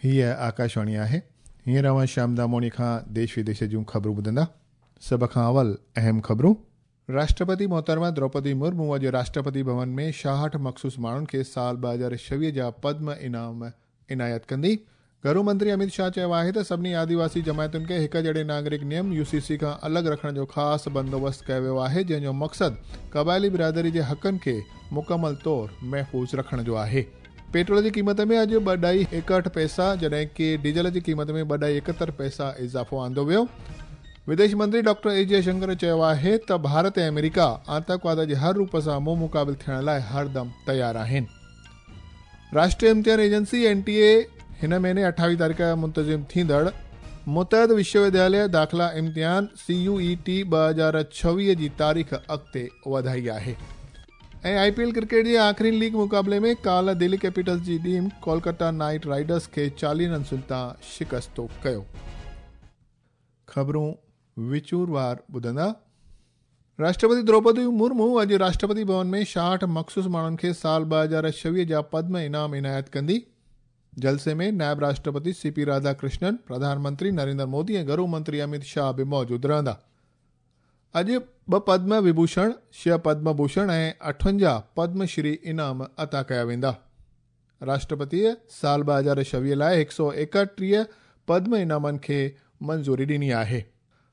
हीअ आकाशवाणी आहे। हींअर अव्हां श्याम दामोणी खां देश विदेश जूं ख़बरूं ॿुधंदा। सभ खां अवल अहम ख़बरूं। राष्ट्रपति मोहतरमा द्रौपदी मुर्मू अॼु राष्ट्रपति भवन में 66 मख़सूस माण्हुनि खे साल 2026 जा पद्म इनाम इनायत कंदी। घरू मंत्री अमित शाह चयो आहे त सभिनी आदिवासी जमायतुनि खे हिक जहिड़े नागरिक नियम यूसीसी खां अलॻि रखण जो ख़ासि बंदोबस्तु कयो वियो आहे, जंहिंजो मक़सदु क़बाइली बिरादरी जे हक़नि खे मुकमल तौर महफ़ूज़ रखण जो आहे। पेट्रोल जी क़ीमत में अॼु 2.61 पैसा, जॾहिं की डीज़ल जी क़ीमत में 2.71 पैसा इज़ाफ़ो आंदो वियो। विदेश मंत्री डॉक्टर एस जयशंकर चयो आहे त भारत ऐं अमेरिका आतंकवाद जे हर रूप सां मुंहुं मुक़ाबिल थियण लाइ हरदम तयारु आहिनि। राष्ट्रीय इम्तिहान एजेंसी एनटीए हिन महीने 28 तारीख़ मुंतज़िम थींदड़ मुतहद विश्वविद्यालय दाख़िला इम्तिहान सीयूईटी 2026 जी तारीख़ अॻिते वधाई आहे। ऐं आईपीएल क्रिकेट जे आख़िरी लीग मुक़ाबले में काल्ह दिल्ली कैपिटल्स जी टीम कोलकाता नाइट राइडर्स खे 40 रनसुनि तां शिकस्तो कयो। ख़बरूं विचूरवार ॿुधंदा। राष्ट्रपति द्रौपदी मुर्मू अॼु राष्ट्रपति भवन में 66 मख़सूस माण्हुनि खे साल 2026 जा पद्म इनाम इनायत कंदी। जलसे में नायब राष्ट्रपति सीपी राधाकृष्णन, प्रधानमंत्री नरेंद्र मोदी ऐं घरू मंत्री अमित शाह बि मौजूदु रहंदा। अॼु 2 पद्म विभूषण, 6 पद्म भूषण ऐं 58 पद्मश्री इनाम अता कया वेंदा। राष्ट्रपतीअ साल 2026 लाइ 131 पद्म इनामनि खे मंज़ूरी ॾिनी आहे।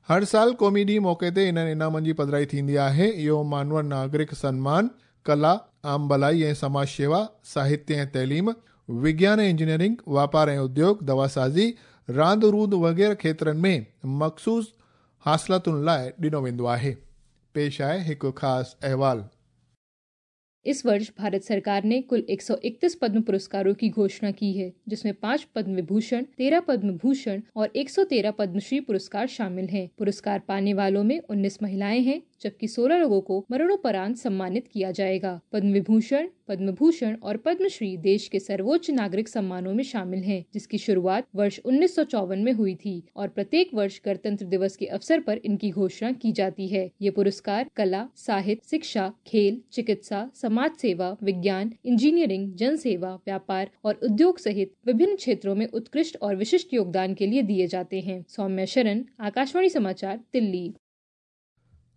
हर साल क़ौमी ॾींहुं मौक़े ते इन्हनि इनामनि जी पधराई थींदी आहे। इहो मानवर नागरिक सनमान, कला, आम भलाई ऐं समाज शेवा, साहित्य ऐं तइलीम, विज्ञान ऐं इंजीनियरिंग, वापार ऐं उद्योग, दवासाज़ी, रांदि रूंदि वग़ैरह खेत्रनि में मख़सूस हासिलातुनि लाइ ॾिनो वेंदो आहे। पेश आहे हिकु ख़ासि अहिवाल। इस वर्ष भारत सरकार ने कुल 131 पद्म पुरस्कारों की घोषणा की है, जिसमें 5 पद्म विभूषण, 13 पद्म भूषण और 113 पद्मश्री पुरस्कार शामिल हैं। पुरस्कार पाने वालों में 19 महिलाएं हैं, जबकि 16 लोगों को मरणोपरांत सम्मानित किया जाएगा। पद्म विभूषण, पद्म भूषण और पद्मश्री देश के सर्वोच्च नागरिक सम्मानों में शामिल हैं, जिसकी शुरुआत वर्ष 1954 में हुई थी और प्रत्येक वर्ष गणतंत्र दिवस के अवसर पर इनकी घोषणा की जाती है। ये पुरस्कार कला, साहित्य, शिक्षा, खेल, चिकित्सा, समाज सेवा, विज्ञान, इंजीनियरिंग, जन सेवा, व्यापार और उद्योग सहित विभिन्न क्षेत्रों में उत्कृष्ट और विशिष्ट योगदान के लिए दिए जाते हैं। सौम्या शरण, आकाशवाणी समाचार, दिल्ली।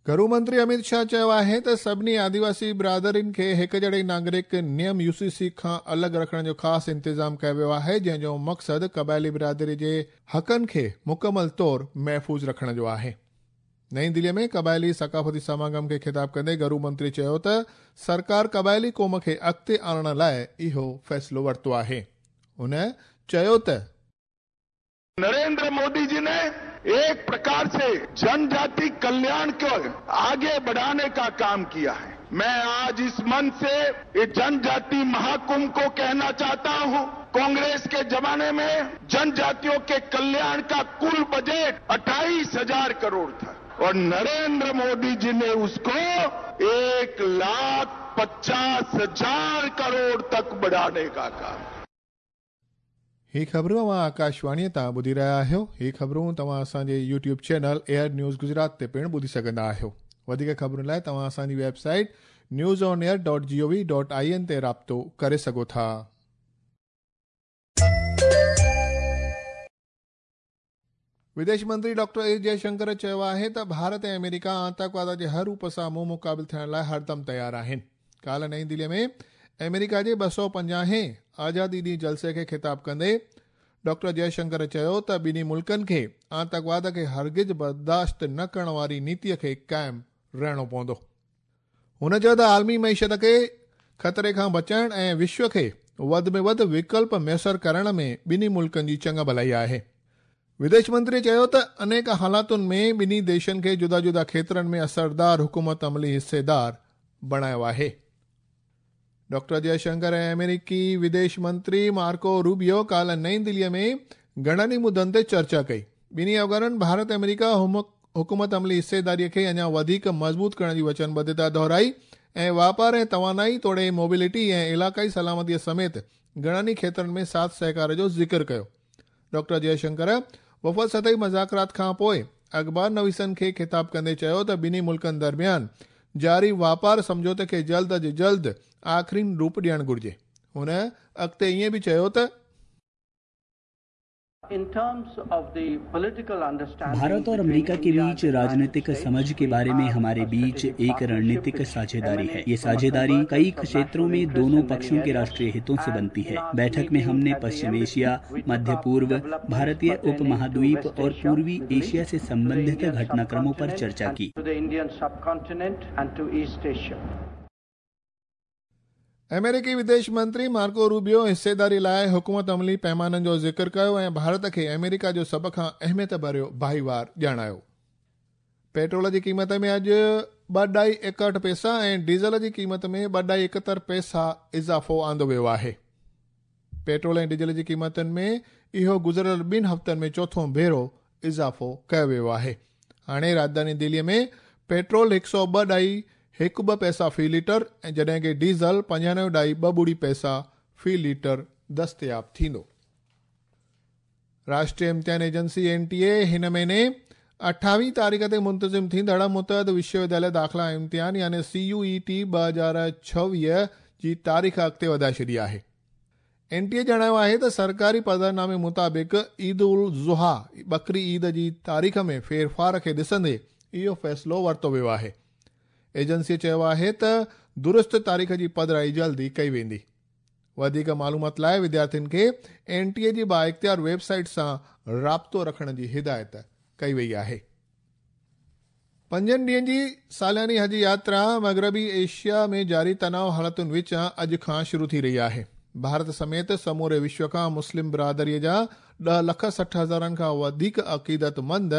घरू मंत्री अमित शाह चयो आहे त सभिनी आदिवासी बिरादरियुनि खे हिक जहिड़े नागरिक नियम यूसीसी खां अलॻि रखण जो ख़ासि इंतिज़ाम कयो वियो आहे, जंहिंजो मक़सदु क़बाइली बिरादरी जे हक़नि खे मुकमल तौर महफ़ूज़ रखण जो आहे। नई दिल्लीअ में क़बाइली सकाफ़ती समागम खे ख़िताब कंदे घरू मंत्री चयो त सरकार क़बाइली क़ौम खे अॻिते आणण लाइ इहो फ़ैसिलो वरितो आहे। हुन चयो त नरेंद्र मोदी जी ने एक प्रकार से जनजाति कल्याण को आगे बढ़ाने का काम किया है। मैं आज इस मंच से इस जनजाति महाकुंभ को कहना चाहता हूं, कांग्रेस के जमाने में जनजातियों के कल्याण का कुल बजट 28,000 करोड़ था और नरेंद्र मोदी जी ने उसको 1,50,000 करोड़ तक बढ़ाने का काम। ही ख़बरूं अव्हां आकाशवाणीअ तां ॿुधी रहिया आहियो। ही ख़बरूं तव्हां असांजे YouTube channel air news Gujarat ते पिणु ॿुधी सघंदा आहियो। वधीक ख़बरुनि लाइ तव्हां असांजी वेबसाइट newsonair.gov.in ते राब्तो करे सघो था। विदेश मंत्री डॉक्टर एस जयशंकर चयो आहे त भारत ऐं अमेरिका आतंकवाद जे हर रूप सां मुंहुं मुक़ाबिल थियण लाइ हरदम तयारु आहिनि। काल्ह नई दिल्लीअ में अमेरिका जे 250हें आज़ादी ॾींहुं जलसे खे ख़िताब कंदे डॉक्टर जयशंकर चयो त ॿिन्ही मुल्कनि खे आतंकवाद खे हरगिज़ बर्दाश्त न करण वारी नीतीअ खे क़ाइमु रहणो पवंदो। हुन चयो त आलमी मईशत खे ख़तरे खां बचाइण ऐं विश्व खे वधि में वधि विकल्प मयसर करण में ॿिन्ही मुल्कनि जी चङा भलाई आहे। विदेश मंत्री चयो त अनेक हालातुनि में ॿिन्ही देशनि खे जुदा जुदा खेत्रनि में असरदार हुकूमत अमली हिस्सेदार बणायो आहे। डॉक्टर जयशंकर ऐं अमेरिकी विदेश मंत्री मार्को रूबियो काल्ह नई दिल्लीअ में घणनि मुद्दनि ते चर्चा कई। ॿिन्ही अॻवाननि भारत अमेरिका हुकूमत अमली हिस्सेदारीअ खे अञा वधीक मज़बूत करण जी वचनबद्धता दोहराई ऐं वापार ऐं तवानाई तोड़े मोबिलिटी ऐं इलाइक़ाई सलामतीअ समेत घणनि खेत्रनि में साथ सहकार जो ज़िक्र कयो। डॉक्टर जयशंकर वफ़द सतही मुज़ाकरात खां पोइ अख़बार नवीसनि खे ख़िताब कंदे चयो त ॿिन्ही मुल्कनि दरमियान जारी वापार सम्झौते खे जल्द अज़ जल्द आख़िरी रूप ॾियणु घुरिजे। हुन अॻिते ईअं बि चयो त भारत और अमेरिका के बीच राजनीतिक समझ के बारे में हमारे बीच एक रणनीतिक साझेदारी है। ये साझेदारी कई क्षेत्रों में दोनों पक्षों के राष्ट्रीय हितों से बनती है। बैठक में हमने पश्चिम एशिया, मध्य पूर्व, भारतीय उपमहाद्वीप और पूर्वी एशिया से संबंधित घटनाक्रमों पर चर्चा की। अमेरिकी विदेश मंत्री मार्को रूबियो हिस्सेदारी लाइ हुकूमत अमली पैमाननि जो ज़िक्र कयो ऐं भारत खे अमेरिका जो सभ खां अहमियत भरियो भाईवार ॼाणायो। पेट्रोल जी क़ीमत में अॼु 2.61 पैसा ऐं डीज़ल जी क़ीमत में 2.71 पैसा इज़ाफ़ो आंदो वियो आहे। पेट्रोल ऐं डीज़ल जी क़ीमतुनि में इहो गुज़िरियल 2 हफ़्तनि में चोथों भेरो इज़ाफ़ो कयो वियो आहे। हाणे राजधानी दिल्लीअ में पेट्रोल 102.12 पैसा फ़ी लीटर ऐं जॾहिं की डीज़ल 95.28 पैसा फ़ी लीटर दस्तियाब थींदो। राष्ट्रीय इम्तिहान एजेंसी NTA हिन महीने 28 तारीख़ ते मुंतज़िम थींदड़ मुतअद विश्वविद्यालय दाख़िला इम्तिहान यानी CUET 2026 जी तारीख़ अॻिते वधाए छॾी आहे। NTA ॼाणायो आहे त सरकारी पधरनामे मुताबिक़ ईद उल ज़ुहा बकरी ईद जी तारीख़ में फेरफार खे ॾिसंदे इहो फ़ैसिलो वरितो वियो आहे। एजेंसीअ चयो आहे त दुरुस्त तारीख़ जी पधराई जल्दी कई वेंदी। वधीक मालूमात लाइ विद्यार्थियुनि खे NTA जी बाइख़्तियार वेबसाइट सां राब्तो रखण जी हिदायत कई वई आहे। 5 ॾींहनि जी सालानी हज यात्रा मग़रबी एशिया में जारी तनाव हालतुनि विचां अॼु खां शुरू थी रही आहे। भारत समेत समूरे विश्व खां मुस्लिम बिरादरीअ जा 10,60,000 खां वधीक अक़ीदतमंद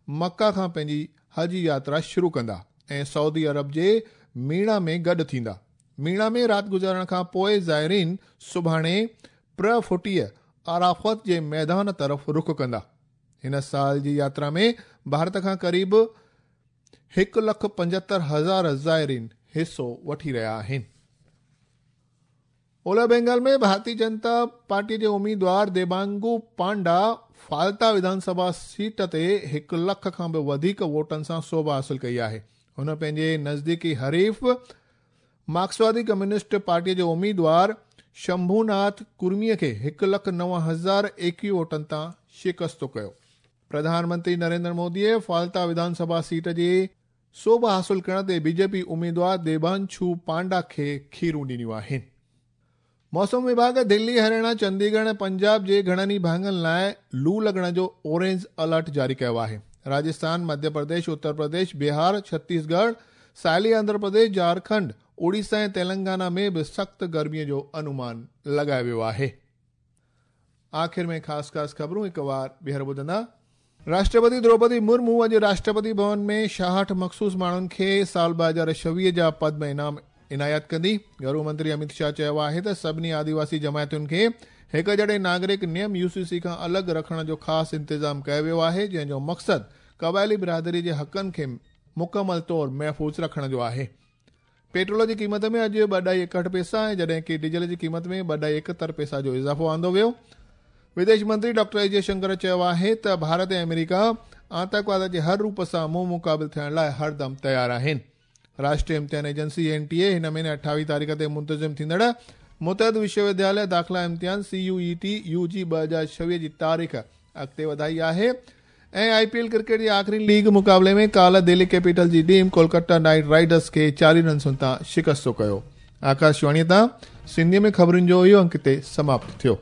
मक्का खां पंहिंजी हज यात्रा शुरू कंदा ऐं सऊदी अरब जे मीणा में गॾु थींदा। मीणा में राति गुज़ारण खां पोइ ज़ाइरीन सुभाणे प्रफुटीअ अराफ़त जे मैदान तरफ़ रुख कंदा। हिन साल जी यात्रा में भारत खां क़रीब 1,75,000 ज़ाइरीन हिसो वठी रहिया आहिनि। ओलह बंगाल में भारतीय जनता पार्टी जे उम्मीदवार देबांगू पांडा फाल्ता विधानसभा सीट ते 1 लख खां बि वधीक वोटनि सां सोभ हासिल कई आहे। हुन पंहिंजे नज़दीकी हरीफ़ मार्क्सवादी कम्युनिस्ट पार्टीअ जे उम्मीदवार शंभूनाथ कुर्मीअ खे 1,09,021 वोटनि तां शिकस्तो कयो। प्रधानमंत्री नरेंद्र मोदीअ फाल्ता विधानसभा सीट जी सोभ हासिल करण ते बीजेपी उम्मीदवार देबांशु पांडा खे खीरूं ॾिनियूं आहिनि। मौसम विभाग दिल्ली, हरियाणा, चंडीगढ़ ऐं पंजाब जे घणनि भाङनि लाइ लू लॻण जो ऑरेंज अलर्ट जारी कयो आहे। राजस्थान, मध्य प्रदेश, उत्तर प्रदेश, बिहार, छत्तीसगढ़, साहिली आंध्र प्रदेश, झारखंड, ओडिशा ऐं तेलंगाना में बि सख़्तु गर्मीअ जो अनुमान लॻायो वियो आहे। आख़िर में ख़ासि ख़ासि ख़बरूं हिकु वार ॿीहर ॿुधंदा। राष्ट्रपति द्रौपदी मुर्मू अॼु राष्ट्रपति भवन में 66 मख़सूस माण्हुनि खे साल 2026 जा पद्म इनाम इनायत कंदी। घरू मंत्री अमित शाह चयो आहे त सभिनी आदिवासी जमायतुनि खे हिक जहिड़े नागरिक नियम UCC खां अलॻि रखण जो ख़ासि इंतज़ाम कयो वियो आहे, जंहिंजो मक़सदु क़बाइली बिरादरी जे हक़नि खे मुकमल तौर महफ़ूज़ रखण जो आहे। पेट्रोल जी क़ीमत में अॼु 2.61 पैसा ऐं जॾहिं की डीज़ल जी क़ीमत में 2.71 पैसा जो इज़ाफ़ो आंदो वियो। विदेश मंत्री डॉक्टर एस जयशंकर चयो आहे त भारत ऐं अमेरिका आतंकवाद जे हर रूप सां मुंहुं मुक़ाबिल थियण लाइ हरदम तयारु आहिनि। राष्ट्रीय इम्तिहान एजेंसी NTA हिन महीने 28 तारीख़ ते मुंतज़िम थींदड़ मुतअद विश्वविद्यालय दाख़िला इम्तिहान CUET UG 2026 जी तारीख़ अॻिते वधाई आहे। ऐं IPL cricket जे आख़िरी लीग मुक़ाबले में काल्ह Delhi capital G team Kolkata night Riders खे 40 रनसुनि तां शिकस्तो कयो। आकाशवाणीअ तां सिंधीअ में ख़बरुनि जो इहो अंक हिते समाप्त थियो।